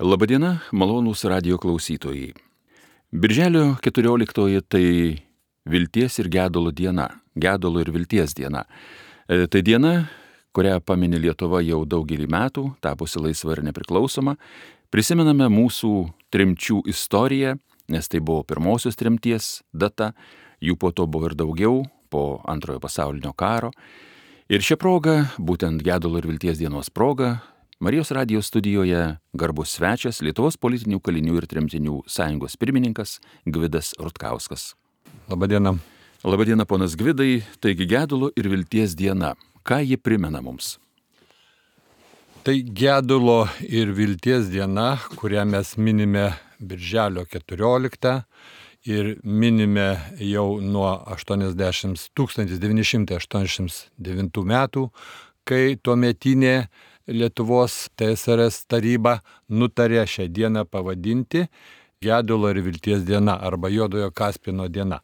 Labadiena, malonūs radijo klausytojai. Birželio 14 tai vilties ir gedulo diena, gedulo ir vilties diena. Tai diena, kurią pamini Lietuva jau daugelį metų, tapusi laisva ir nepriklausoma. Prisimename mūsų tremčių istoriją, nes tai buvo pirmosios tremties data, jų po to buvo ir daugiau, po Antrojo pasaulinio karo. Ir šią progą, būtent gedulo ir vilties dienos proga, Marijos radijo studijoje garbus svečias Lietuvos politinių kalinių ir tremtinių sąjungos pirmininkas Gvidas Rutkauskas. Labadiena. Labadiena, ponas Gvidai. Taigi gedulo ir vilties diena. Ką ji primena mums? Tai gedulo ir vilties diena, kurią mes minime birželio 14 ir minime jau nuo 1989 metų, kai tuometinė Lietuvos TSRS taryba nutarė šią dieną pavadinti gedulo ir vilties diena arba Juodojo Kaspino diena.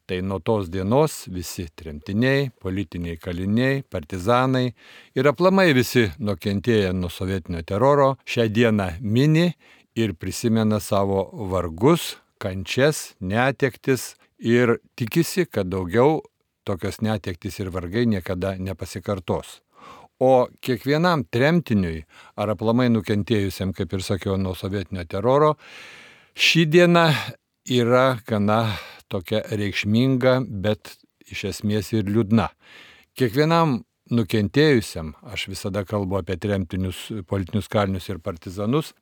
Tai nuo tos dienos visi tremtiniai, politiniai kaliniai, partizanai ir aplamai visi nukentėję nuo sovietinio teroro šią dieną mini ir prisimena savo vargus, kančias, netektis ir tikisi, kad daugiau tokios netektis ir vargai niekada nepasikartos. O kiekvienam tremtiniui ar aplamai nukentėjusiam, kaip ir sakiau, nuo sovietinio teroro, ši diena yra gana tokia reikšminga, bet iš esmės ir liūdna. Kiekvienam nukentėjusiam, aš visada kalbu apie tremtinius, politinius kalinius ir partizanus,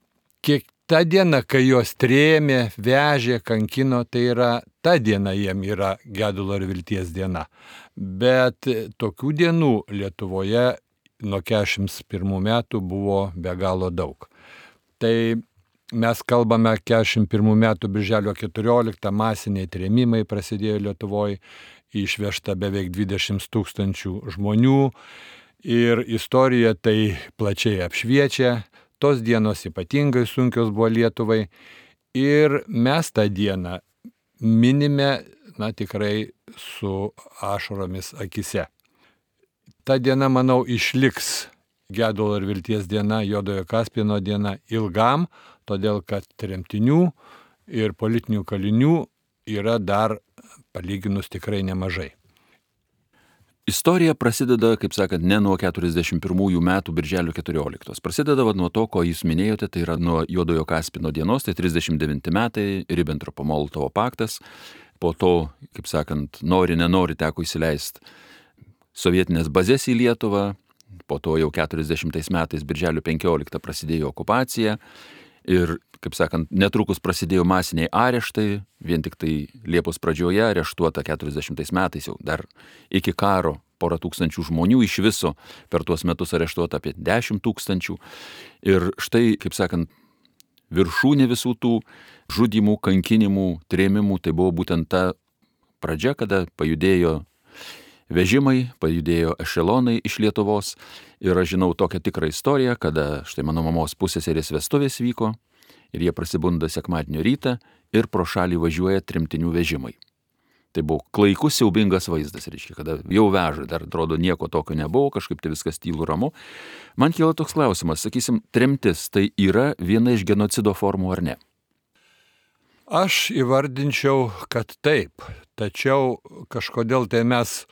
ta diena, kai juos trėmė, vežė, kankino, tai yra ta diena jiem yra gedulo ir vilties diena. Bet tokių dienų Lietuvoje nuo 41 metų buvo be galo daug. Tai mes kalbame 41 metų birželio 14, masiniai trėmimai prasidėjo Lietuvoje, išvežta beveik 20 000 žmonių ir istorija tai plačiai apšviečia. Tos dienos ypatingai sunkios buvo Lietuvai ir mes tą dieną minime, tikrai su ašaromis akise. Ta diena, manau, išliks gedulo ir vilties diena, Juodojo Kaspino diena ilgam, todėl kad tremtinių ir politinių kalinių yra dar palyginus tikrai nemažai. Istorija prasideda, kaip sakant, ne nuo 41 metų birželio 14. Prasideda nuo to, ko jūs minėjote, tai yra nuo Juodojo Kaspino dienos, tai 39 metai, Ribentropo-Molotovo paktas. Po to, kaip sakant, nenori teko įsileisti sovietinės bazės į Lietuvą. Po to jau 40 metais birželio 15 prasidėjo okupacija. Ir, kaip sakant, netrukus prasidėjo masiniai areštai, vien tik tai Liepos pradžioje areštuota 40 metais jau dar iki karo 100 tūkstančių žmonių, iš viso per tuos metus areštuota apie 10 000. Ir štai, kaip sakant, viršūnė visų tų žudymų, kankinimų, trėmimų, tai buvo būtent ta pradžia, kada pajudėjo vežimai, pajudėjo ešelonai iš Lietuvos. Ir aš žinau tokią tikrą istoriją, kada štai mano mamos pusseserės vestuvės vyko ir jie prasibunda sekmadienio rytą ir pro šalį važiuoja tremtinių vežimai. Tai buvo klaikus, siaubingas vaizdas, reiškia, kada jau veža, dar atrodo nieko tokio nebuvo, kažkaip tai viskas tylu ramu. Man kyla toks klausimas, sakysim, tremtis tai yra viena iš genocido formų ar ne? Aš įvardinčiau, kad taip, tačiau kažkodėl tai mes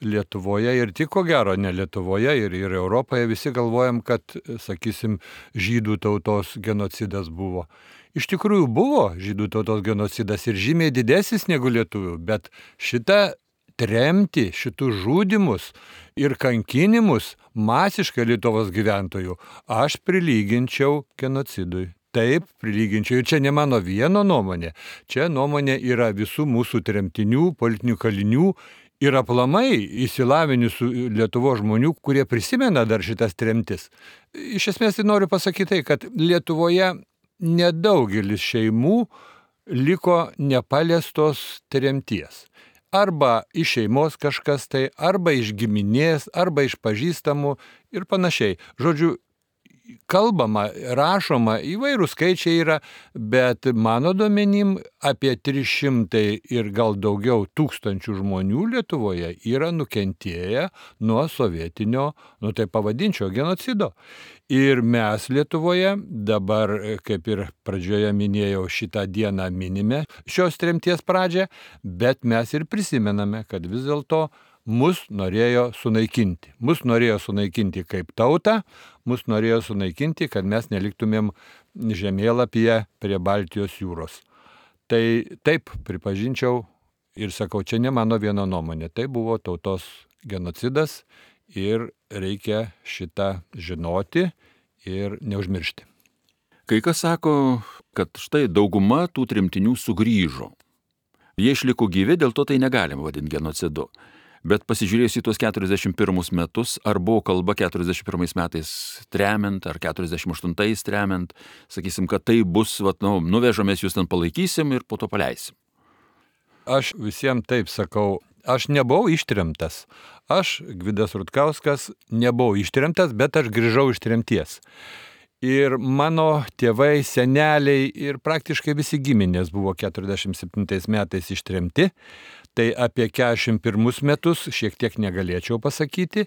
Lietuvoje ir tik ko gero ne Lietuvoje ir Europoje visi galvojam, kad, sakysim, žydų tautos genocidas buvo. Iš tikrųjų buvo žydų tautos genocidas ir žymiai didesnis negu lietuvių, bet šitą tremtį, šitus žudymus ir kankinimus masiškai Lietuvos gyventojų aš prilyginčiau genocidui. Taip, prilyginčiau. Ir čia ne mano vieno nuomonė. Čia nuomonė yra visų mūsų tremtinių, politinių kalinių ir aplamai įsilavinusių Lietuvos žmonių, kurie prisimena dar šitas tremtis. Iš esmės tai noriu pasakyti tai, kad Lietuvoje nedaugelis šeimų liko nepaliestos tremties. Arba iš šeimos kažkas tai, arba iš giminės, arba iš pažįstamų ir panašiai. Žodžiu, kalbama, rašoma, įvairūs skaičiai yra, bet mano duomenim apie 300 ir gal daugiau tūkstančių žmonių Lietuvoje yra nukentėję nuo sovietinio, tai pavadinčiau, genocido. Ir mes Lietuvoje dabar, kaip ir pradžioje minėjau, šitą dieną minime šios tremties pradžią, bet mes ir prisimename, kad vis dėlto mus norėjo sunaikinti. Mus norėjo sunaikinti kaip tautą, mus norėjo sunaikinti, kad mes neliktumėm žemėlapyje prie Baltijos jūros. Tai taip, pripažinčiau ir sakau, čia ne mano viena nuomonė, tai buvo tautos genocidas ir reikia šitą žinoti ir neužmiršti. Kai kas sako, kad štai dauguma tų tremtinių sugrįžo. Jie išliko gyvi, dėl to tai negalima vadinti genocidu. Bet pasižiūrėjus į tuos 41 metus, ar buvo kalba 41 metais tremiant, ar 48 tremiant, sakysim, kad tai bus, nuvežamės jūs ten palaikysim ir po to paleisim. Aš visiems taip sakau, aš nebuvau ištremtas. Aš, Gvidas Rutkauskas, nebuvau ištremtas, bet aš grįžau iš tremties. Ir mano tėvai, seneliai ir praktiškai visi giminės buvo 47 metais ištremti. Tai apie 41 metus šiek tiek negalėčiau pasakyti,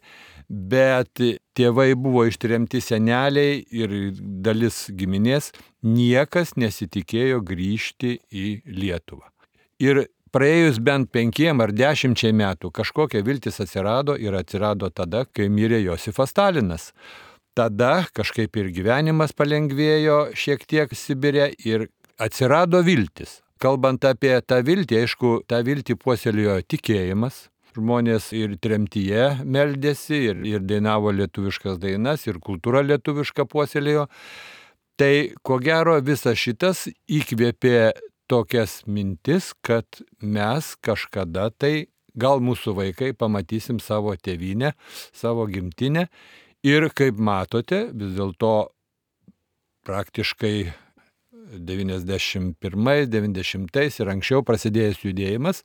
bet tėvai buvo ištremti, seneliai ir dalis giminės, niekas nesitikėjo grįžti į Lietuvą. Ir praėjus bent 5 ar 10 metų kažkokia viltis atsirado ir atsirado tada, kai mirė Josifas Stalinas. Tada kažkaip ir gyvenimas palengvėjo šiek tiek Sibire ir atsirado viltis. Kalbant apie tą viltį, aišku, tą viltį puoselėjo tikėjimas. Žmonės ir tremtyje meldėsi, ir dainavo lietuviškas dainas, ir kultūra lietuviška puoselėjo. Tai ko gero visas šitas įkvėpė tokias mintis, kad mes kažkada tai, gal mūsų vaikai, pamatysim savo tėvynę, savo gimtinę. Ir kaip matote, vis dėlto praktiškai 91, 90 ir anksčiau prasidėjęs judėjimas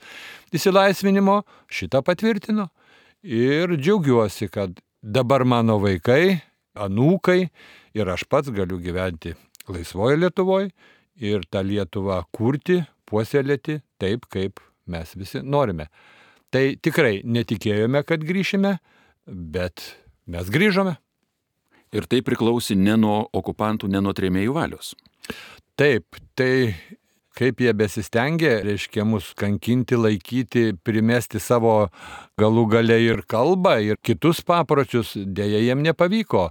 išsilaisvinimo šitą patvirtino. Ir džiaugiuosi, kad dabar mano vaikai, anūkai ir aš pats galiu gyventi laisvoje Lietuvoje ir tą Lietuvą kurti, puoselėti taip, kaip mes visi norime. Tai tikrai netikėjome, kad grįšime, bet mes grįžome. Ir tai priklausė ne nuo okupantų, ne nuo trėmėjų valios. Taip, tai kaip jie besistengė, reiškia, mus kankinti, laikyti, primesti savo galų gale ir kalbą, ir kitus papročius, dėja jiem nepavyko.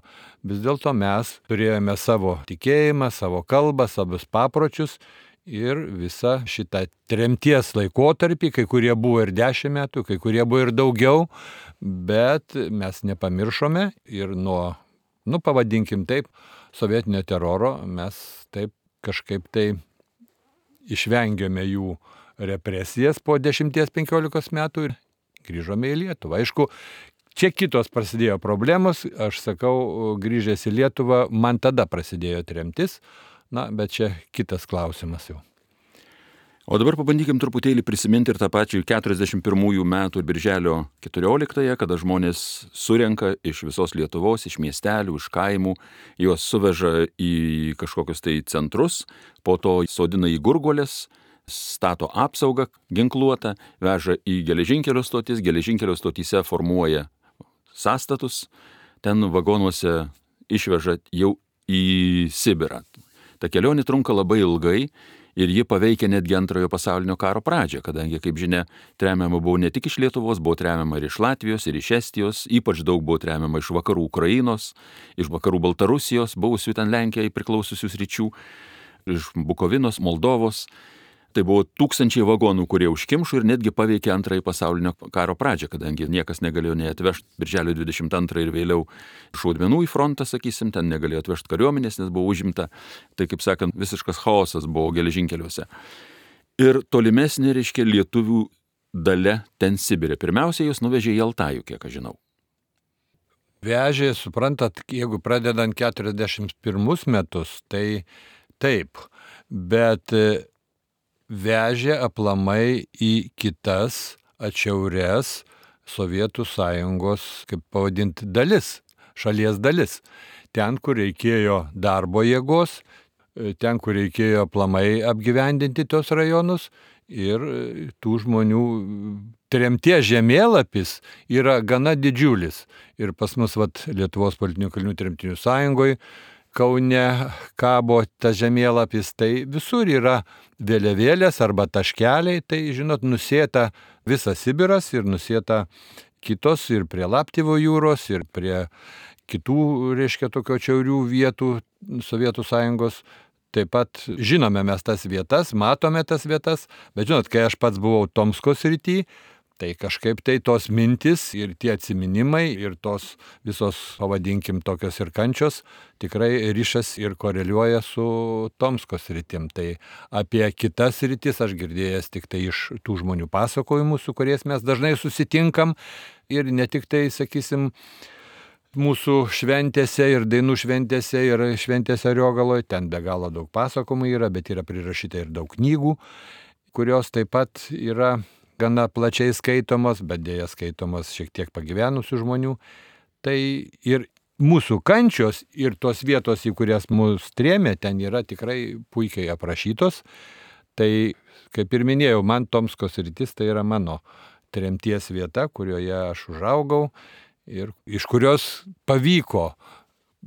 Vis dėlto mes turėjome savo tikėjimą, savo kalbą, savus papročius ir visą šitą tremties laikotarpį, kai kurie buvo ir 10 metų, kai kurie buvo ir daugiau, bet mes nepamiršome ir nuo, pavadinkim taip, sovietinio teroro mes taip kažkaip tai išvengėme jų represijas po 10-15 metų ir grįžome į Lietuvą. Aišku, čia kitos prasidėjo problemos, aš sakau, grįžęs į Lietuvą, man tada prasidėjo tremtis, bet čia kitas klausimas jau. O dabar pabandykim truputėlį prisiminti ir tą pačią 41 metų birželio 14-ąją, kada žmonės surenka iš visos Lietuvos, iš miestelių, iš kaimų, juos suveža į kažkokius tai centrus, po to sodina į gurguolės, stato apsaugą ginkluotą, veža į geležinkelio stotis, geležinkelio stotyse formuoja sąstatus, ten vagonuose išveža jau į Sibirą. Ta kelionė trunka labai ilgai. Ir ji paveikia netgi Antrojo pasaulinio karo pradžią, kadangi, kaip žinia, tremiama buvo ne tik iš Lietuvos, buvo tremiama ir iš Latvijos, ir iš Estijos, ypač daug buvo tremiama iš vakarų Ukrainos, iš vakarų Baltarusijos, buvusių ten Lenkijai priklausiusių sričių, iš Bukovinos, Moldovos. Tai buvo tūkstančiai vagonų, kurie užkimšo ir netgi paveikė Antrąjį pasaulinio karo pradžią, kadangi niekas negalėjo nei atvežti birželio 22 ir vėliau šaudmenų į frontą, sakysim, ten negalėjo atvežti kariuomenės, nes buvo užimta. Tai, kaip sakant, visiškas chaosas buvo geležinkeliuose. Ir tolimesnė, reiškia, lietuvių dalia ten Sibire. Pirmiausia, jos nuvežė į Altajų, kiek aš žinau. Vežė, suprantat, jeigu pradedant 41 metus, tai taip, bet vežė aplamai į kitas atšiaures Sovietų sąjungos, kaip pavadinti, dalis, šalies dalis. ten, kur reikėjo darbo jėgos, ten, kur reikėjo aplamai apgyvendinti tos rajonus ir tų žmonių tremties žemėlapis yra gana didžiulis. Ir pas mus Lietuvos politinių kalinių tremtinių sąjungoje Kaune kabo tas žemėlapis, tai visur yra vėliavėlės arba taškeliai, tai žinot, nusėta visas Sibiras ir nusėta kitos ir prie Laptevo jūros, ir prie kitų, reiškia, tokio atšiaurių vietų Sovietų sąjungos. Taip pat žinome mes tas vietas, matome tas vietas, bet žinot, kai aš pats buvau Tomsko srity, tai kažkaip tai tos mintis ir tie atsiminimai ir tos visos, pavadinkim, tokios ir kančios tikrai ryšas ir koreliuoja su Tomsko sritim. Tai apie kitas sritis aš girdėjęs tik tai iš tų žmonių pasakojimų, su kuriais mes dažnai susitinkam ir ne tik tai, sakysim, mūsų šventėse ir dainų šventėse ir šventėse Ariogaloje, ten be galo daug pasakojimų yra, bet yra prirašyta ir daug knygų, kurios taip pat yra gana plačiai skaitomos, bet dėja skaitomos šiek tiek pagyvenusių žmonių. Tai ir mūsų kančios ir tos vietos, į kurias mus trėmė, ten yra tikrai puikiai aprašytos. Tai, kaip ir minėjau, man Tomsko sritis tai yra mano tremties vieta, kurioje aš užaugau ir iš kurios pavyko,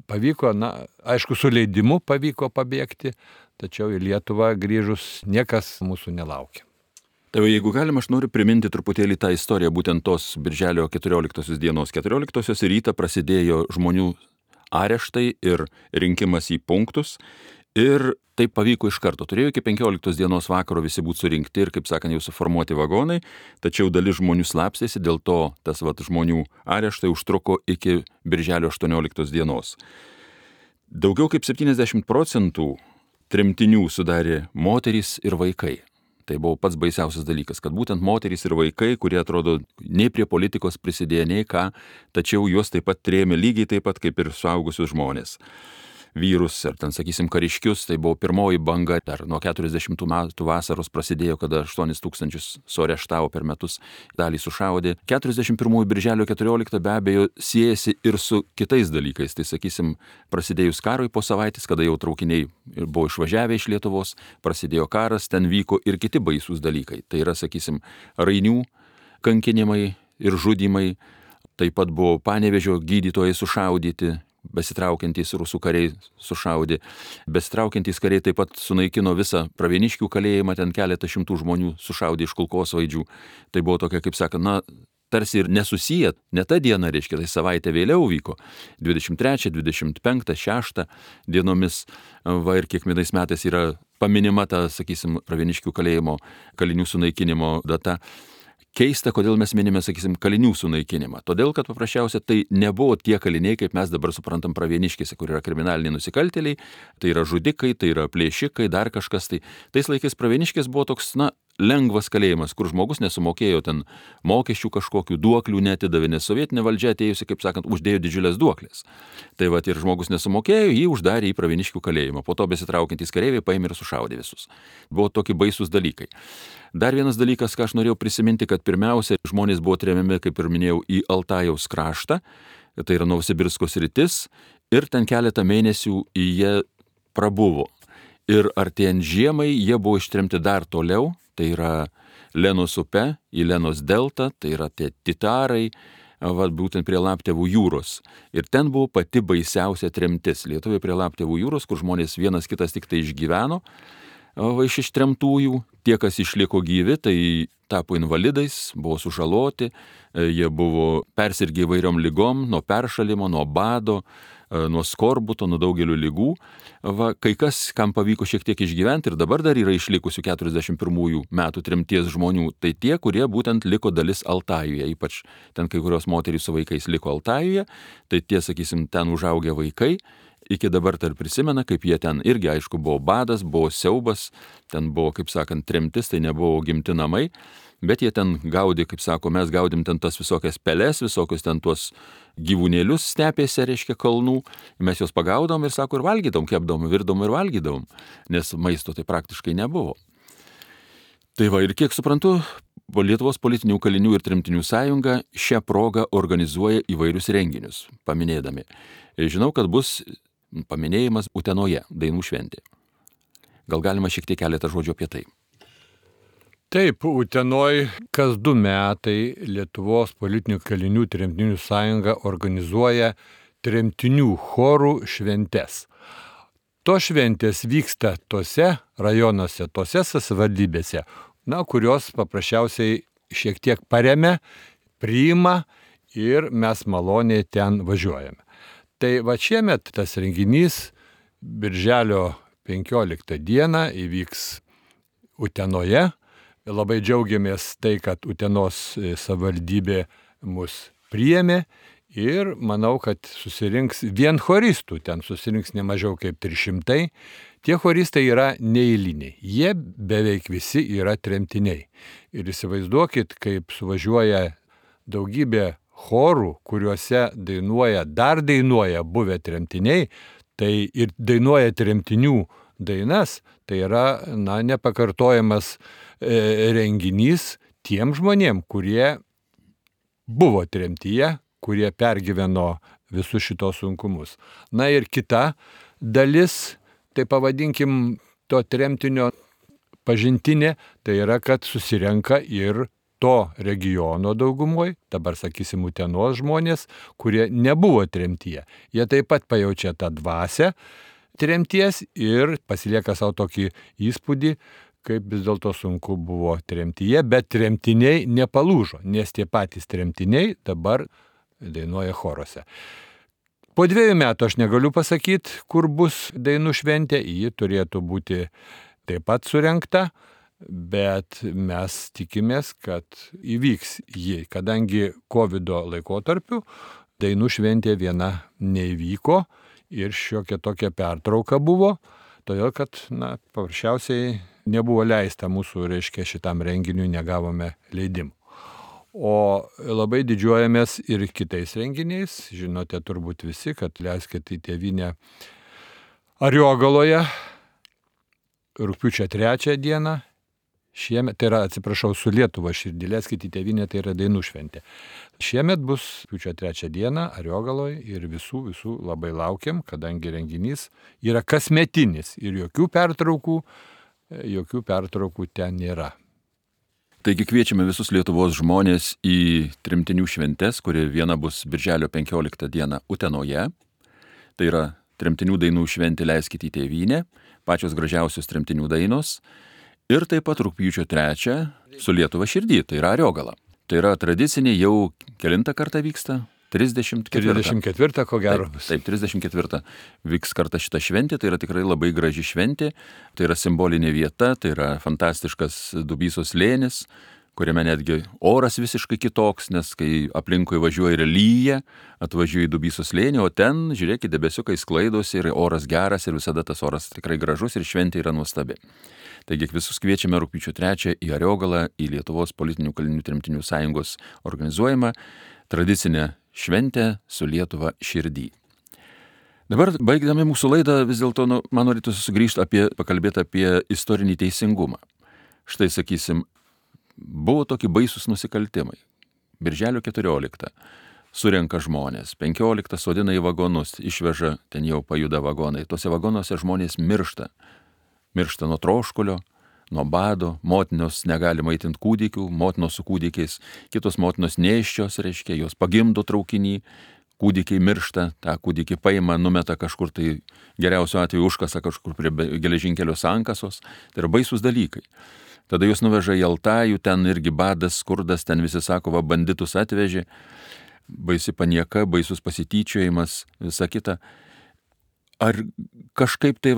aišku, su leidimu pavyko pabėgti, tačiau į Lietuvą grįžus niekas mūsų nelaukia. Tai jeigu galima, aš noriu priminti truputėlį tą istoriją, būtent tos birželio 14 dienos. 14 rytą prasidėjo žmonių areštai ir rinkimas į punktus ir tai pavyko iš karto. Turėjo iki 15 dienos vakaro visi būti surinkti ir, kaip sakant, jau suformuoti vagonai, tačiau dalis žmonių slapstėsi, dėl to tas žmonių areštai užtruko iki birželio 18 dienos. Daugiau kaip 70% tremtinių sudarė moterys ir vaikai. Tai buvo pats baisiausias dalykas, kad būtent moterys ir vaikai, kurie atrodo nei prie politikos prisidėjo, nei ką, tačiau juos taip pat trėmė lygiai taip pat kaip ir suaugusius žmonės. Vyrus ar ten, sakysim, kariškius, tai buvo pirmoji banga, dar nuo 40 metų vasaros prasidėjo, kada 8 000 suareštavo per metus, dalį sušaudė. 41 birželio 14 be abejo siejasi ir su kitais dalykais, tai sakysim, prasidėjus karui po savaitės, kada jau traukiniai buvo išvažiavę iš Lietuvos, prasidėjo karas, ten vyko ir kiti baisūs dalykai. Tai yra, sakysim, rainių kankinimai ir žudymai, taip pat buvo Panevėžio gydytojai sušaudyti, besitraukiantys rusų kariai sušaudė. Besitraukiantys kariai taip pat sunaikino visą Pravieniškių kalėjimą, ten keletą šimtų žmonių sušaudė iš kulkosvaidžių. Tai buvo tokia, kaip sakant, tarsi ir nesusiję, ne ta diena, reiškia, tai savaitę vėliau vyko, 23, 25, 6 dienomis, ir kiekvienais metais yra paminima ta, sakysim, Pravieniškių kalėjimo kalinių sunaikinimo data. Keista, kodėl mes minime, sakysim, kalinių sunaikinimą. Todėl, kad paprasčiausia tai nebuvo tie kaliniai, kaip mes dabar suprantam Pravieniškėse, kur yra kriminaliniai nusikaltėliai, tai yra žudikai, tai yra plėšikai, dar kažkas. Tai tais laikais Pravieniškės buvo toks, lengvas kalėjimas, kur žmogus nesumokėjo ten mokesčių kažkokių, duoklių netidavė, nes sovietinė valdžia atėjusi, kaip sakant, uždėjo didžiulės duoklės. Tai ir žmogus nesumokėjo, jį uždarė į Pravieniškių kalėjimą. Po to besitraukiantys kareiviai paėmė ir sušaudė visus. Buvo tokie baisūs dalykai. Dar vienas dalykas, ką aš norėjau prisiminti, kad pirmiausia žmonės buvo tremiami, kaip ir minėjau, į Altajaus kraštą, tai yra Novosibirsko sritis, ir ten keletą mėnesių jie prabuvo. Ir artėjant žiemai jie buvo ištremti dar toliau, tai yra Lenos upe, į Lenos deltą, tai yra tie Titarai, būtent prie Laptevų jūros. Ir ten buvo pati baisiausia tremtis. Lietuvoje prie Laptevų jūros, kur žmonės vienas kitas tik tai išgyveno, iš ištremtųjų, tie, kas išliko gyvi, tai tapo invalidais, buvo sužaloti, jie buvo persirgę įvairiom ligom, nuo peršalimo, nuo bado, nuo skorbuto, nuo daugelių lygų. Kai kas, kam pavyko šiek tiek išgyventi ir dabar dar yra išlikusių 41 metų tremties žmonių, tai tie, kurie būtent liko dalis Altajuje, ypač ten kai kurios moterys su vaikais liko Altajuje, tai tie, sakysim, ten užaugę vaikai, iki dabar dar prisimena, kaip jie ten irgi, aišku, buvo badas, buvo siaubas, ten buvo, kaip sakant, tremtis, tai nebuvo gimti namai, bet jie ten gaudė, kaip sako, mes gaudėm ten tas visokias peles, visokius ten tuos gyvūnėlius stepėse, reiškia, kalnų, mes juos pagaudom ir, sako, ir valgydom, kepdom, virdom ir valgydom, nes maisto tai praktiškai nebuvo. Tai ir kiek suprantu, Lietuvos politinių kalinių ir tremtinių sąjunga šią progą organizuoja įvairius renginius, paminėdami. Žinau, kad bus paminėjimas Utenoje, dainų šventė. Gal galima šiek tiek keletą žodžių apie tai? Taip, Utenoj kas 2 metai Lietuvos politinių kalinių tremtinių sąjunga organizuoja tremtinių chorų šventes. To šventės vyksta tose rajonuose, tose savivaldybėse, kurios paprasčiausiai šiek tiek paremia, priima ir mes maloniai ten važiuojame. Tai va šiemet tas renginys birželio 15 dieną įvyks Utenoje. Labai džiaugiamės tai, kad Utenos savivaldybė mus priėmė ir manau, kad susirinks vien choristų, ten susirinks ne mažiau kaip 300. Tie choristai yra neeiliniai, jie beveik visi yra tremtiniai. Ir įsivaizduokit, kaip suvažiuoja daugybė chorų, kuriuose dar dainuoja buvę tremtiniai, tai ir dainuoja tremtinių dainas, tai yra nepakartojamas renginys tiem žmonėm, kurie buvo tremtyje, kurie pergyveno visus šitos sunkumus. Ir kita dalis, tai pavadinkim to tremtinio pažintinė, tai yra, kad susirenka ir to regiono daugumoj, dabar sakysim Utenos žmonės, kurie nebuvo tremtyje. Jie taip pat pajaučia tą dvasią tremties ir pasilieka savo tokį įspūdį, kaip vis dėlto sunku buvo tremtyje, bet tremtiniai nepalūžo, nes tie patys tremtiniai dabar dainuoja choruose. Po 2 metų aš negaliu pasakyti, kur bus dainų šventė, ji turėtų būti taip pat surengta, bet mes tikimės, kad įvyks ji, kadangi COVID laikotarpiu dainų šventė viena neįvyko ir šiokia tokia pertrauka buvo, todėl kad paprasčiausiai nebuvo leista mūsų, šitam renginiui negavome leidimų. O labai didžiuojamės ir kitais renginiais. Žinote turbūt visi, kad Leiskit į tėvynę Ariogaloje rugpjūčio 3 dieną. Šiemet, tai yra, su Lietuva širdį, Leiskit į tėvynę, tai yra dainų šventė. Šiemet bus rugpjūčio 3 dieną Ariogaloje ir visų labai laukiam, kadangi renginys yra kasmetinis ir jokių pertraukų ten nėra. Taigi kviečiame visus Lietuvos žmonės į tremtinių šventes, kuri viena bus birželio 15 dieną Utenoje. Tai yra tremtinių dainų šventė Leiskit į tėvynę, pačios gražiausios tremtinių dainos. Ir taip pat rugpjūčio 3 su Lietuva širdį, tai yra Ariogala. Tai yra tradiciniai, jau kelintą kartą vyksta? 34, ko gero. Taip, 34 vyks kartą šitą šventę, tai yra tikrai labai graži šventė, tai yra simbolinė vieta, tai yra fantastiškas Dubysos slėnis, kuriame netgi oras visiškai kitoks, nes kai aplinkui važiuoja ir lyja, atvažiuoja į Dubysos slėnį, o ten, žiūrėkit, debesiukai sklaidosi ir oras geras ir visada tas oras tikrai gražus ir šventė yra nuostabi. Taigi visus kviečiame rugpjūčio 3 į Ariogalą, į Lietuvos politinių kalinių tremtinių sąjungos organizuojamą tradicinę šventę su Lietuva širdį. Dabar, baigdami mūsų laidą, vis dėlto man norėtųsi sugrįžti pakalbėti apie istorinį teisingumą. Štai, sakysim, buvo tokie baisus nusikaltimai. Birželio 14 surenka žmonės, 15 sodina į vagonus, išveža, ten jau pajuda vagonai. Tuose vagonuose žmonės miršta. Miršta nuo troškulio, nuo bado, motinos negali maitinti kūdikių, motinos su kūdikiais, kitos motinos nėščios, jos pagimdo traukinį, kūdikiai miršta, tą kūdikį paima, numeta kažkur, tai geriausiu atveju užkasa kažkur prie geležinkelio sankasos, tai yra baisus dalykai. Tada jūs nuveža į Altajų, ten irgi badas, skurdas, ten visi sako, banditus atvežė, baisi panieka, baisus pasityčiojimas, visa kita. Ar kažkaip tai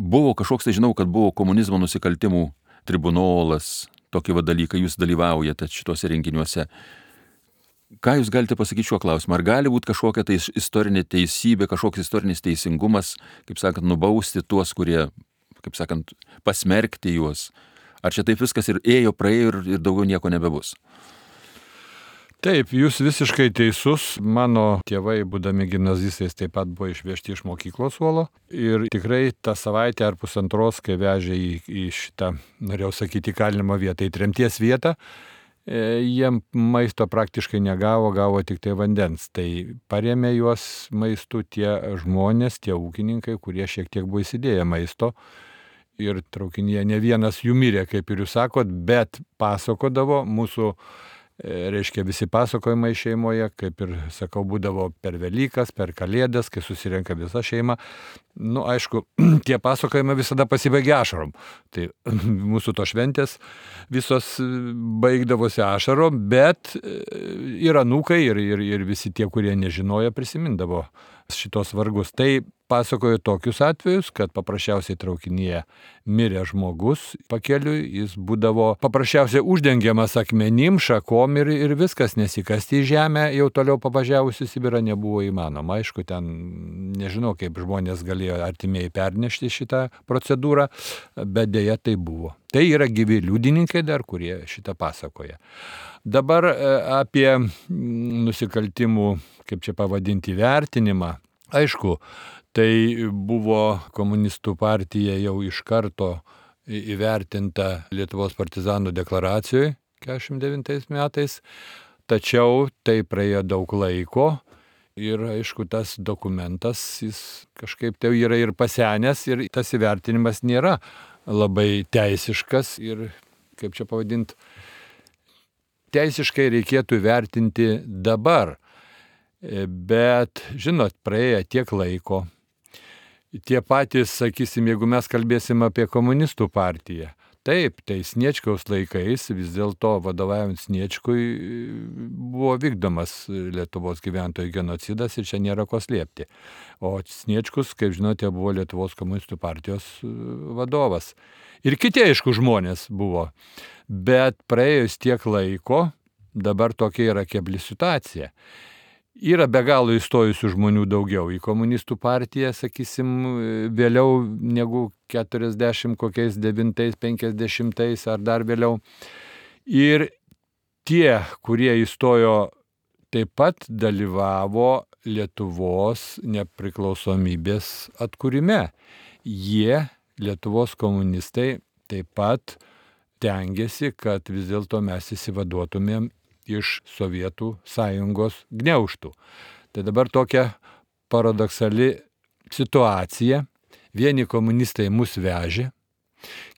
buvo kažkoks, tai žinau, kad buvo komunizmo nusikaltimų tribunolas, tokie dalykai, jūs dalyvaujate šituose renginiuose. Ką jūs galite pasakyti šiuo klausimu? Ar gali būti kažkokia tai istorinė teisybė, kažkoks istorinis teisingumas, kaip sakant, nubausti tuos, kurie, kaip sakant, pasmerkti juos? Ar čia taip viskas ir ėjo, praėjo ir daugiau nieko nebebus? Taip, jūs visiškai teisus. Mano tėvai, būdami gimnazistais, taip pat buvo išvežti iš mokyklos suolo. Ir tikrai tą savaitę ar pusantros, kai vežė į šitą, norėjau sakyti, įkalinimo vietą, į tremties vietą, jiem maisto praktiškai negavo, gavo tik tai vandens. Tai parėmė juos maistu tie žmonės, tie ūkininkai, kurie šiek tiek buvo įsidėję maisto. Ir traukinyje ne vienas jų mirė, kaip ir jūs sakot, bet pasakodavo mūsų, reiškia, visi pasakojimai šeimoje, kaip ir sakau, būdavo per Velykas, per Kalėdas, kai susirenka visa šeima. Aišku, tie pasakojimai visada pasibaigia ašarom. Tai mūsų to šventės visos baigdavosi ašarom, bet ir anūkai, ir visi tie, kurie nežinojo, prisimindavo šitos vargus. Tai pasakojo tokius atvejus, kad paprasčiausiai traukinyje mirė žmogus pakeliui, jis būdavo paprasčiausiai uždengiamas akmenim, šakom ir viskas, nesikasti į žemę, jau toliau pavažiavusi Sibirą nebuvo įmanoma. Aišku, ten nežinau, kaip žmonės galėjo artimieji pernešti šitą procedūrą, bet dėja tai buvo. Tai yra gyvi liudininkai dar, kurie šitą pasakoja. Dabar apie nusikaltimų, kaip čia pavadinti, vertinimą. Aišku, tai buvo komunistų partija jau iš karto įvertinta Lietuvos partizanų deklaracijoje 49 metais, tačiau tai praėjo daug laiko ir aišku, tas dokumentas, jis kažkaip tai yra ir pasenęs ir tas įvertinimas nėra labai teisiškas ir, kaip čia pavadinti, teisiškai reikėtų vertinti dabar. Bet, žinot, praėjo tiek laiko. Tie patys, sakysim, jeigu mes kalbėsim apie komunistų partiją, taip, tai Sniečkaus laikais vis dėlto vadovaujant Sniečkui buvo vykdomas Lietuvos gyventojų genocidas ir čia nėra ko slėpti. O Sniečkus, kaip žinote, buvo Lietuvos komunistų partijos vadovas. Ir kiti, aišku, žmonės buvo. Bet praėjus tiek laiko, dabar tokia yra kebli situacija. Yra be galo įstojusių žmonių daugiau į komunistų partiją, sakysim, vėliau negu 40 kokiais 9, 50 ar dar vėliau. Ir tie, kurie įstojo, taip pat dalyvavo Lietuvos nepriklausomybės atkūrime. Jie, Lietuvos komunistai, taip pat tengiasi, kad vis dėlto mes įsivaduotumėm iš Sovietų sąjungos gniaužtų. Tai dabar tokia paradoksali situacija. Vieni komunistai mus vežė,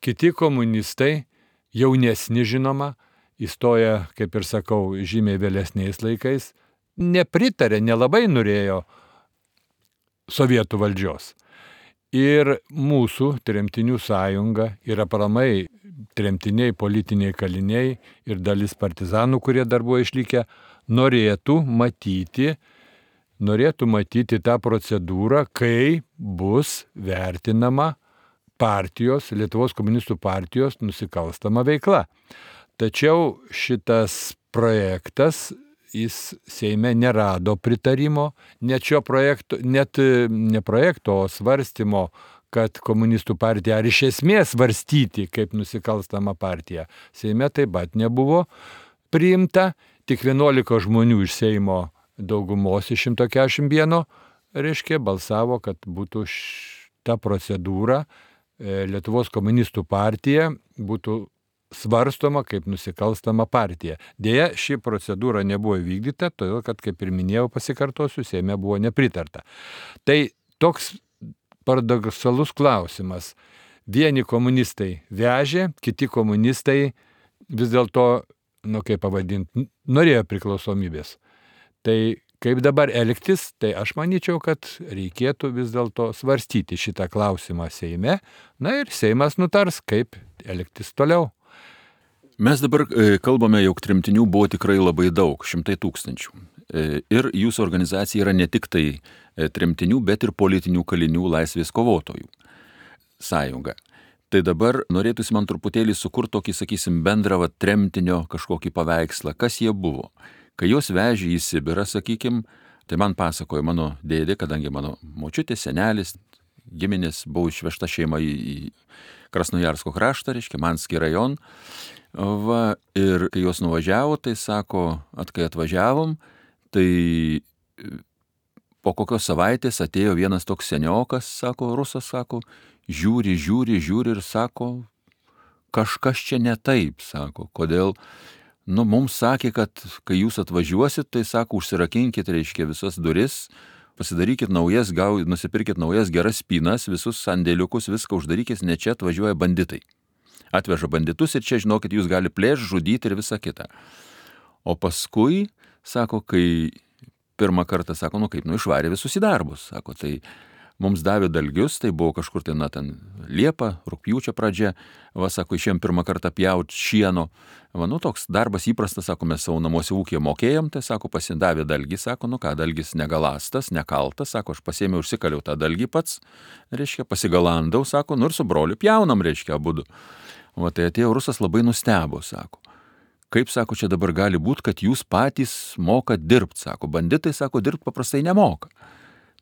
kiti komunistai, jaunesni žinoma, įstoja, kaip ir sakau, žymiai vėlesniais laikais, nepritarė, nelabai norėjo Sovietų valdžios. Ir mūsų tremtinių sąjunga ir aplamai tremtiniai, politiniai kaliniai ir dalis partizanų, kurie dar buvo išlikę, norėtų matyti tą procedūrą, kai bus vertinama partijos, Lietuvos komunistų partijos nusikalstama veikla. Tačiau šitas projektas, jis Seime nerado pritarimo, net ne projekto, o svarstymo, kad komunistų partija ar iš esmės svarstyti kaip nusikalstama partija. Seime taip pat nebuvo priimta, tik 11 žmonių iš Seimo daugumos iš 141, reiškia, balsavo, kad būtų ta procedūra Lietuvos komunistų partija būtų svarstoma kaip nusikalstama partija. Deja, ši procedūra nebuvo įvykdyta, todėl kad, kaip ir minėjau, pasikartosiu, Seime buvo nepritarta. Tai toks paradoksalus klausimas. Vieni komunistai vežė, kiti komunistai vis dėlto, kaip pavadinti, norėjo priklausomybės. Tai kaip dabar elgtis, tai aš manyčiau, kad reikėtų vis dėlto svarstyti šitą klausimą Seime, ir Seimas nutars, kaip elgtis toliau. Mes dabar kalbame, jog tremtinių buvo tikrai labai daug, 100 000. Ir jūsų organizacija yra ne tik tai tremtinių, bet ir politinių kalinių laisvės kovotojų sąjunga. Tai dabar norėtųsi man truputėlį sukurti tokį, sakysim, bendrą tremtinio kažkokį paveikslą, kas jie buvo. Kai juos vežė į Sibirą, sakykim, tai man pasakojo mano dėdė, kadangi mano močiutė, senelis, giminės buvo išvežta šeima į Krasnojarsko kraštą, reiškia, Manskį rajon. Va, ir kai jos nuvažiavo, tai sako, kai atvažiavom, tai po kokios savaitės atėjo vienas toks seniokas, sako, rusas, sako, žiūri ir sako, kažkas čia ne taip, sako, kodėl. Mums sakė, kad kai jūs atvažiuosit, tai sako, užsirakinkit, reiškia, visas duris, pasidarykit naujas, nusipirkit naujas geras spynas, visus sandėliukus, viską uždarykit, ne čia atvažiuoja banditai. Atveža banditus ir čia, žinokit, jūs gali plėšti, žudyti ir visą kitą. O paskui, sako, kai pirmą kartą, sako, išvarė visus į darbus, sako, tai mums davė dalgius, tai buvo kažkur ten Liepa, rugpjūčio pradžia, va, sako, išėjom pirmą kartą pjauti šieno, va, toks darbas įprastas, sako, mes savo namuose ūkyje mokėjom, tai, sako, pasidavė dalgį, sako, dalgis negalastas, nekaltas, sako, aš pasėmiau, užsikaliau tą dalgį pats, reiškia, pasigalandau, sako, ir su broliu pjaunam, reiškia, abudu. Va, tai atėjo rusas labai nustebo, sako. Kaip, sako, čia dabar gali būti, kad jūs patys mokat dirbti, sako, banditai, sako, dirbti paprastai nemoka.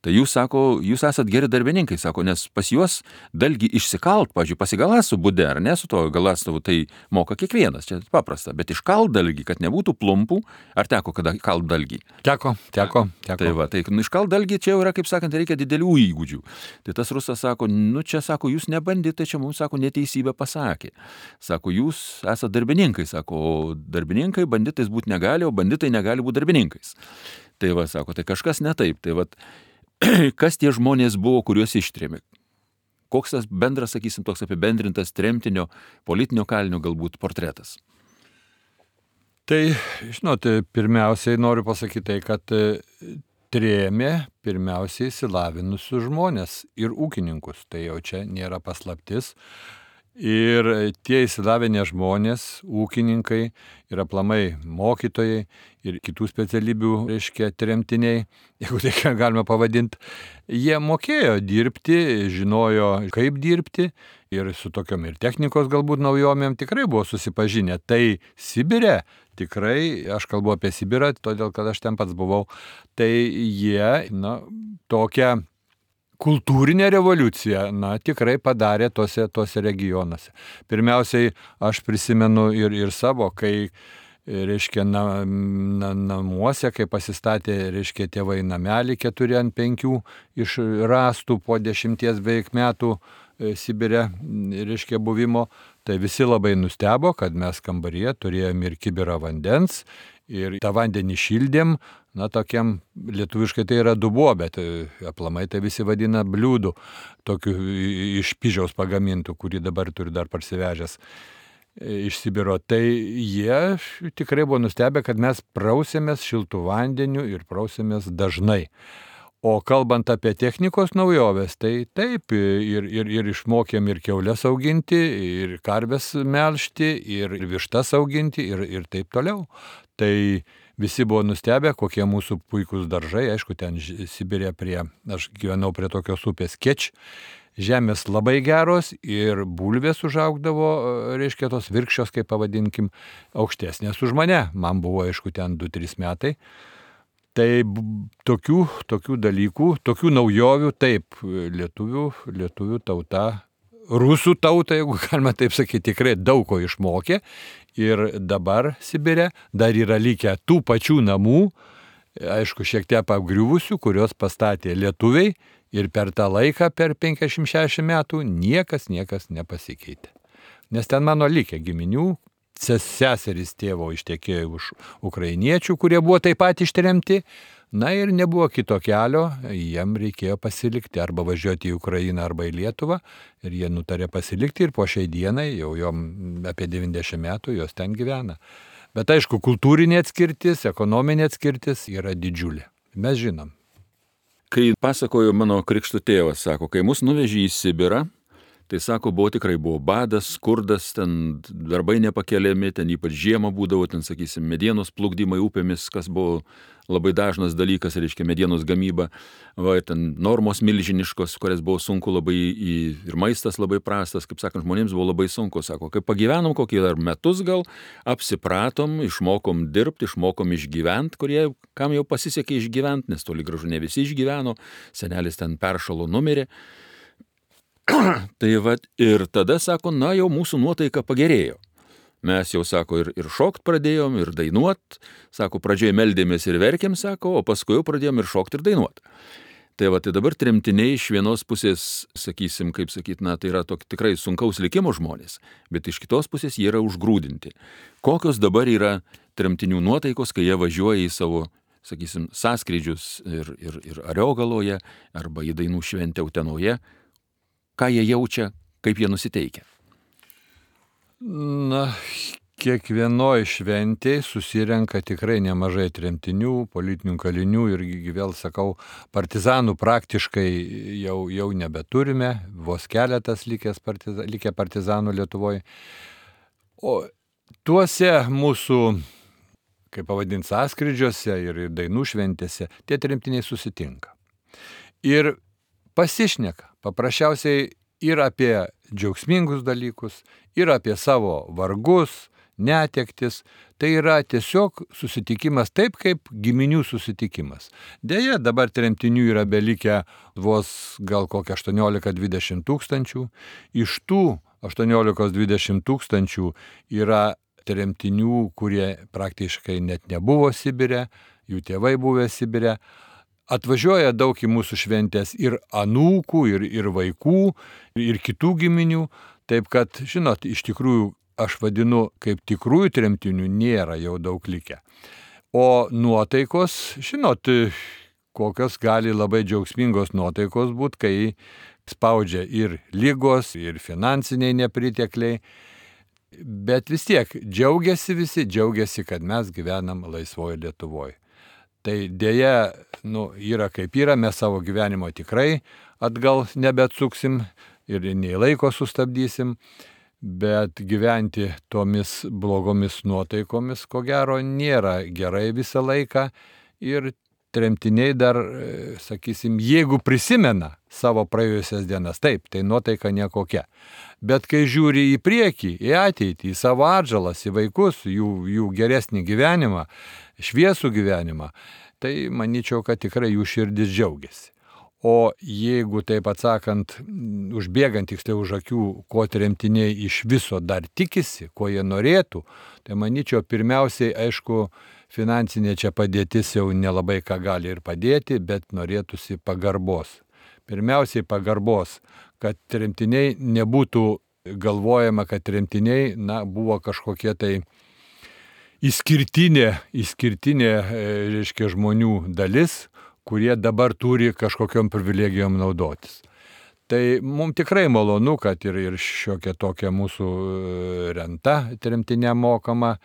Tai jūs, sako, jūs esat geri darbininkai, sako, nes pas juos dalgį išsikalt, pavyzdžiui, pasigalastų būde, ar ne, su to galastavu, tai moka kiekvienas, čia paprasta, bet iškalt dalgį, kad nebūtų plumpų, ar teko kada kalt dalgį? Teko. Tai va, tai iškalt dalgį čia jau yra, kaip sakant, reikia didelių įgūdžių. Tai tas rusas sako, čia, sako, jūs ne banditai, čia mums, sako, neteisybę pasakė. Sako, jūs esat darbininkai, sako, o darbininkai banditais būti negali, o banditai negali būti darbininkais. Tai va, sako, tai kažkas ne taip, tai va, kas tie žmonės buvo, kuriuos ištrėmė? Koks tas bendras, sakysim, toks apibendrintas tremtinio, politinio kalinio galbūt portretas? Tai, žinot, pirmiausiai noriu pasakyti tai, kad trėmė pirmiausiai išsilavinusius žmonės ir ūkininkus. Tai jau čia nėra paslaptis. Ir tie išsilavinę žmonės, ūkininkai ir aplamai mokytojai ir kitų specialybių, reiškia, tremtiniai, jeigu tai galima pavadinti, jie mokėjo dirbti, žinojo, kaip dirbti ir su tokiom ir technikos galbūt naujomėm tikrai buvo susipažinę. Tai Sibire, tikrai, aš kalbu apie Sibirą, todėl kad aš ten pats buvau, tai jie, tokią kultūrinė revoliucija, tikrai padarė tose regionuose. Pirmiausiai, aš prisimenu ir savo, kai, reiškia, namuose, kai pasistatė, reiškia, tėvai namelį 4 ant 5 iš rąstų po 10 beveik metų Sibire, reiškia, buvimo, tai visi labai nustebo, kad mes kambaryje turėjom ir kibirą vandens, ir tą vandenį šildėm, tokiam, lietuviškai tai yra dubuo, bet aplamai tai visi vadina bliūdų, tokių iš pižiaus pagamintų, kurį dabar turi dar parsivežęs iš Sibiro. Tai jie tikrai buvo nustebę, kad mes prausėmės šiltų vandeniu ir prausėmės dažnai. O kalbant apie technikos naujoves, tai taip, ir išmokėm ir kiaulės auginti, ir karves melžti, ir vištas auginti, ir taip toliau. Tai visi buvo nustebę, kokie mūsų puikūs daržai, aišku, ten Sibirė aš gyvenau prie tokios upės Keč, žemės labai geros ir bulvės užaugdavo, reiškia, tos virkščios, kaip pavadinkim, aukštesnės už mane. Man buvo, aišku, ten 2-3 metai. Tai tokių dalykų, tokių naujovių, taip, lietuvių tauta, rusų tauta, jeigu galima taip sakyti, tikrai daug ko išmokė. Ir dabar Sibire dar yra likę tų pačių namų, aišku, šiek tiek apgriuvusių, kurios pastatė lietuviai ir per tą laiką, per 56 metų, niekas nepasikeitė. Nes ten mano likę giminių, seserys tėvo ištekėjo už ukrainiečių, kurie buvo taip pat ištremti, ir nebuvo kito kelio, jiem reikėjo pasilikti arba važiuoti į Ukrainą arba į Lietuvą ir jie nutarė pasilikti ir po šiai dienai, jau jom apie 90 metų, jos ten gyvena. Bet aišku, kultūrinė atskirtis, ekonominė atskirtis yra didžiulė. Mes žinom. Kai pasakojo mano krikšto tėvas, sako, kai mus nuvežė į Sibirą, tai sako, tikrai buvo badas, skurdas, ten darbai nepakeliami, ten ypač žiemą būdavo, ten, sakysim, medienos plukdymai upėmis, kas buvo labai dažnas dalykas, reiškia, medienos gamyba, ten normos milžiniškos, kurias buvo sunku labai, ir maistas labai prastas, kaip sakant, žmonėms buvo labai sunku, sako, kai pagyvenom kokį dar metus gal, apsipratom, išmokom dirbti, išmokom išgyventi, kam jau pasisekė išgyventi, nes toli gražu ne visi išgyveno, senelis ten peršalo numirė. Tai vat ir tada sako, na jau mūsų nuotaika pagerėjo. Mes jau, sako, ir šokt pradėjom, ir dainuot. Sako, pradžioje meldėmės ir verkėm, sako, o paskui jau pradėjom ir šokt ir dainuot. Tai va, tai dabar tremtiniai iš vienos pusės, sakysim, kaip sakyt, na, tai yra tikrai sunkaus likimo žmonės, bet iš kitos pusės jie yra užgrūdinti. Kokios dabar yra tremtinių nuotaikos, kai jie važiuoja į savo, sakysim, sąskrydžius ir Ariogaloje arba į dainų šventę Utenoje, ką jie jaučia, kaip jie nusiteikia? Na, kiekvienoje šventėje susirenka tikrai nemažai tremtinių, politinių kalinių ir vėl sakau, partizanų praktiškai jau nebeturime, vos keletas likę partizanų Lietuvoje. O tuose mūsų, kaip pavadinti, sąskrydžiuose ir dainų šventėse tie tremtiniai susitinka. Ir pasišneka paprasčiausiai ir apie džiaugsmingus dalykus, ir apie savo vargus, netektis. Tai yra tiesiog susitikimas taip, kaip giminių susitikimas. Deja, dabar tremtinių yra belikę vos gal kokia 18-20 tūkstančių. Iš tų 18-20 tūkstančių yra tremtinių, kurie praktiškai net nebuvo Sibire, jų tėvai buvę Sibire. Atvažiuoja daug į mūsų šventės ir anūkų, ir vaikų, ir kitų giminių. Taip kad, žinot, iš tikrųjų, aš vadinu, kaip tikrųjų tremtinių nėra jau daug likę. O nuotaikos, žinot, kokios gali labai džiaugsmingos nuotaikos būti, kai spaudžia ir lygos, ir finansiniai nepritekliai. Bet vis tiek džiaugiasi, kad mes gyvenam laisvoje Lietuvoje. Tai dėja, yra kaip yra, mes savo gyvenimo tikrai atgal nebeatsuksim ir nei laiko sustabdysim, bet gyventi tomis blogomis nuotaikomis, ko gero, nėra gerai visą laiką ir tremtiniai dar, sakysim, jeigu prisimena savo praėjusias dienas, taip, tai nuotaika nekokia. Bet kai žiūri į priekį, į ateitį, į savo atžalas, į vaikus, jų geresnį gyvenimą, šviesų gyvenimą, tai manyčiau, kad tikrai jų širdis džiaugiasi. O jeigu, taip atsakant, užbėgant tiksliau už akių, ko tremtiniai iš viso dar tikisi, ko jie norėtų, tai manyčiau, pirmiausiai, aišku, finansinė čia padėtis jau nelabai ką gali ir padėti, bet norėtųsi pagarbos. Pirmiausiai pagarbos, kad tremtiniai nebūtų galvojama, kad tremtiniai, buvo kažkokie tai išskirtinė, reiškia, žmonių dalis, kurie dabar turi kažkokiom privilegijom naudotis. Tai mums tikrai malonu, kad ir šiokia tokia mūsų renta tremtiniam mokama.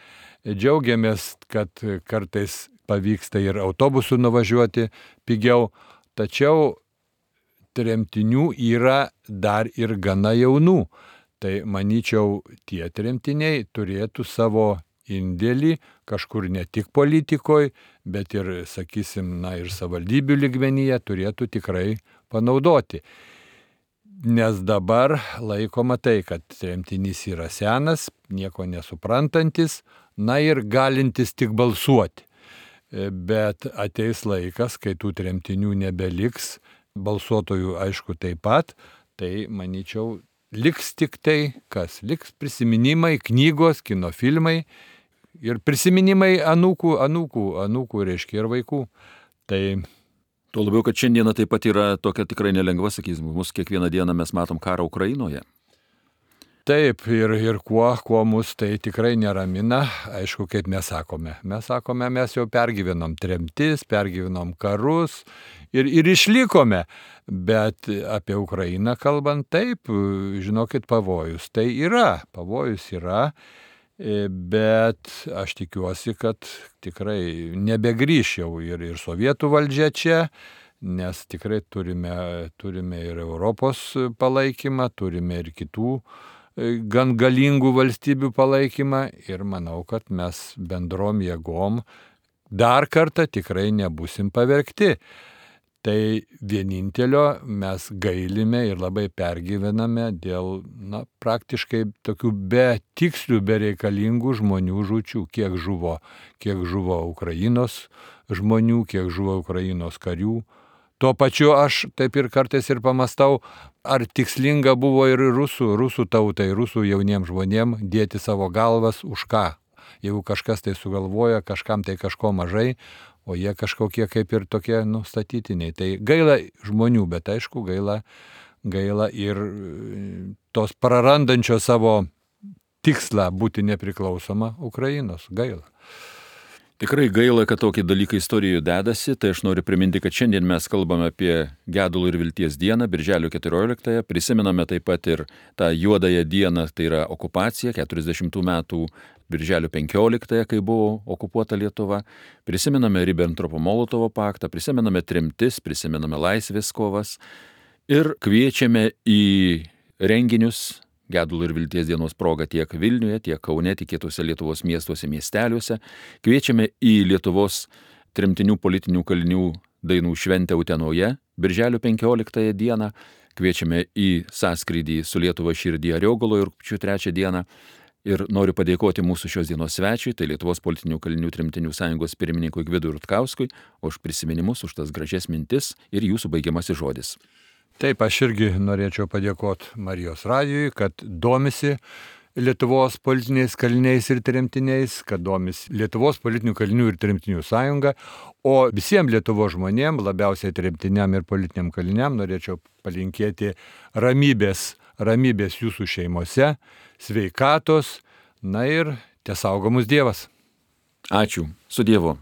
Džiaugiamės, kad kartais pavyksta ir autobusu nuvažiuoti pigiau, tačiau tremtinių yra dar ir gana jaunų. Tai manyčiau, tie tremtiniai turėtų savo indėlį kažkur ne tik politikoje, bet ir, sakysim, ir savivaldybių lygmenyje turėtų tikrai panaudoti. Nes dabar laikoma tai, kad tremtinys yra senas, nieko nesuprantantis, ir galintis tik balsuoti. Bet ateis laikas, kai tų tremtinių nebeliks, balsuotojų aišku taip pat, tai manyčiau, liks tik tai, kas liks prisiminimai, knygos, kino filmai ir prisiminimai anūkų, reiškia, ir vaikų. Tai tuo labiau, kad šiandieną taip pat yra tokia tikrai nelengva, sakysim, mus kiekvieną dieną mes matom karą Ukrainoje. Taip, ir kuo mus tai tikrai neramina, aišku, kaip mes sakome. Mes jau pergyvenom tremtis, pergyvenom karus ir išlikome. Bet apie Ukrainą kalbant, taip, žinokit, pavojus yra. Bet aš tikiuosi, kad tikrai nebegrįš jau ir sovietų valdžia čia, nes tikrai turime ir Europos palaikymą, turime ir kitų gan galingų valstybių palaikymą ir manau, kad mes bendrom jėgom dar kartą tikrai nebusim pavergti. Tai vienintelio mes gailime ir labai pergyvename dėl praktiškai tokių betikslių, bereikalingų žmonių žūčių. Kiek žuvo Ukrainos žmonių, kiek žuvo Ukrainos karių. Tuo pačiu aš taip ir kartais ir pamastau, ar tikslinga buvo ir rusų tautai, rusų jauniems žmonėms dėti savo galvas už ką. Jeigu kažkas tai sugalvoja, kažkam tai kažko mažai, o jie kažkokie kaip ir tokie statytiniai. Tai gaila žmonių, bet aišku, gaila ir tos prarandančios savo tikslą būti nepriklausoma Ukrainos. Gaila. Tikrai gaila, kad tokie dalykai istorijoje dedasi, tai aš noriu priminti, kad šiandien mes kalbame apie Gedulo ir vilties dieną, birželio 14-ąją, prisimename taip pat ir tą juodąją dieną, tai yra okupacija, 40 metų birželio 15-ąją, kai buvo okupuota Lietuva, prisimename Ribbentropo-Molotovo paktą, prisimename tremtis, prisimename laisvės kovas ir kviečiame į renginius Gedulo ir vilties dienos proga tiek Vilniuje, tiek Kaune, tiek kitose Lietuvos miestuose, miesteliuose. Kviečiame į Lietuvos tremtinių politinių kalinių dainų šventę Utenoje, birželio 15 dieną. Kviečiame į sąskrydį su Lietuva širdį Ariogaloje rugpjūčio 3 dieną. Ir noriu padėkoti mūsų šios dienos svečiui, tai Lietuvos politinių kalinių tremtinių sąjungos pirmininkui Gvidui Rutkauskui, už prisiminimus, už tas gražias mintis ir jūsų baigiamasis žodis. Taip, aš irgi norėčiau padėkoti Marijos radijui, kad domisi Lietuvos politiniais kaliniais ir tremtiniais, kad domisi Lietuvos politinių kalinių ir tremtinių sąjunga, o visiems Lietuvos žmonėms, labiausiai tremtiniam ir politiniam kaliniam, norėčiau palinkėti ramybės jūsų šeimose, sveikatos, na ir tesaugo mus Dievas. Ačiū, su Dievu.